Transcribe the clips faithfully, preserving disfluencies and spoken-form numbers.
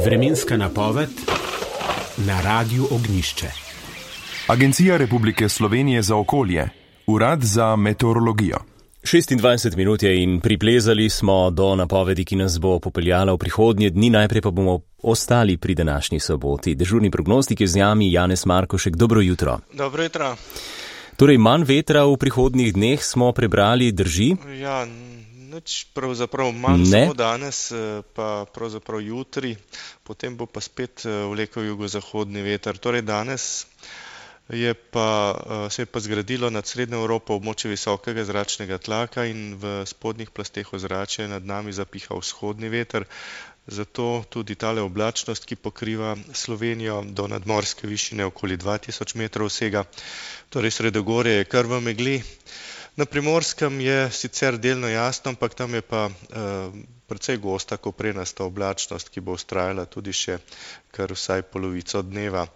Vremenska napoved na Radiu Ognjišče. Agencija Republike Slovenije za okolje, Urad za meteorologijo. šestindvajset minut je in priplezali smo do napovedi, ki nas bo popeljala v prihodnje dni. Najprej pa bomo ostali pri današnji soboti. Dežurni prognostik je z nami Janez Markošek. Dobro jutro. Dobro jutro. Torej, manj vetra v prihodnjih dneh smo prebrali, drži? Ja, nič pravzaprav manj, ne. Samo danes, pa pravzaprav jutri, potem bo pa spet vlekel jugozahodni veter. Torej danes je pa, se je pa zgradilo nad Srednjo Evropo območje visokega zračnega tlaka in v spodnjih plasteh ozračja nad nami zapiha vzhodni veter. Zato tudi tale oblačnost, ki pokriva Slovenijo do nadmorske višine okoli dva tisoč metrov vsega, torej sredogorje je kar v megli. Na Primorskem je sicer delno jasno, ampak tam je pa eh, precej gosta koprenasta oblačnost, ki bo vztrajala tudi še kar vsaj polovico dneva.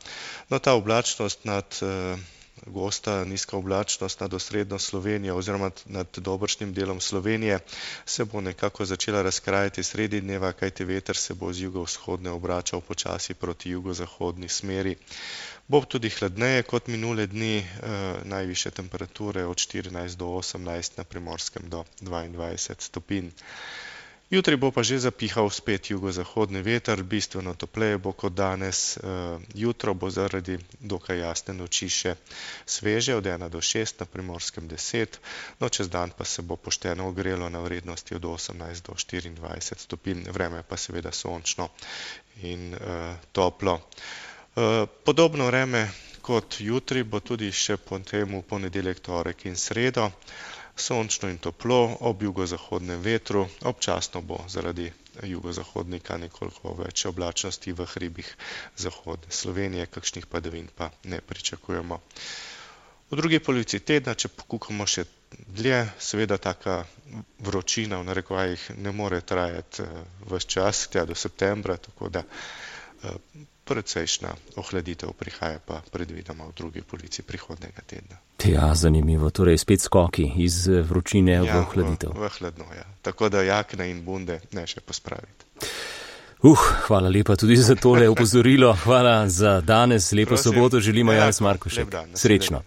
No, ta oblačnost nad eh, gosta, nizka oblačnost nad osrednjo Slovenijo oziroma nad dobršnim delom Slovenije se bo nekako začela razkrajati sredi dneva, kajti veter se bo z jugovzhodne obračal počasi proti jugozahodni smeri. Bo tudi hladneje kot minule dni, eh, najvišje temperature od štirinajst do osemnajst, na Primorskem do dvaindvajset stopinj. Jutri bo pa že zapihal spet jugozahodni veter, bistveno topleje bo kot danes. Jutro bo zaradi dokaj jasne noči še sveže, od ena do šest, na Primorskem deset, no čez dan pa se bo pošteno ogrelo na vrednosti od osemnajst do štiriindvajset stopinj, vreme pa seveda sončno in uh, toplo. Uh, podobno vreme kot jutri bo tudi še po tem v ponedeljek, torek in sredo. Sončno in toplo, ob jugozahodnem vetru, občasno bo zaradi jugozahodnika nekoliko več oblačnosti v hribih zahodne Slovenije, kakšnih padavin pa ne pričakujemo. V drugi polovici tedna, če pokukamo še dlje, seveda taka vročina v narekovajih ne more trajati ves čas, tja do septembra, tako da precejšnja ohladitev prihaja pa predvidoma v drugi polovici prihodnjega tedna. Ja, zanimivo. Torej spet skoki iz vročine v ja, ohladitev. V, v hladno, ja. Tako da jakne in bunde ne še pospraviti. Uh, hvala lepa tudi za tole opozorilo. Hvala za danes. Lepo Prosim. soboto želimo, Ja, Janez Markošek. lep dan. Srečno.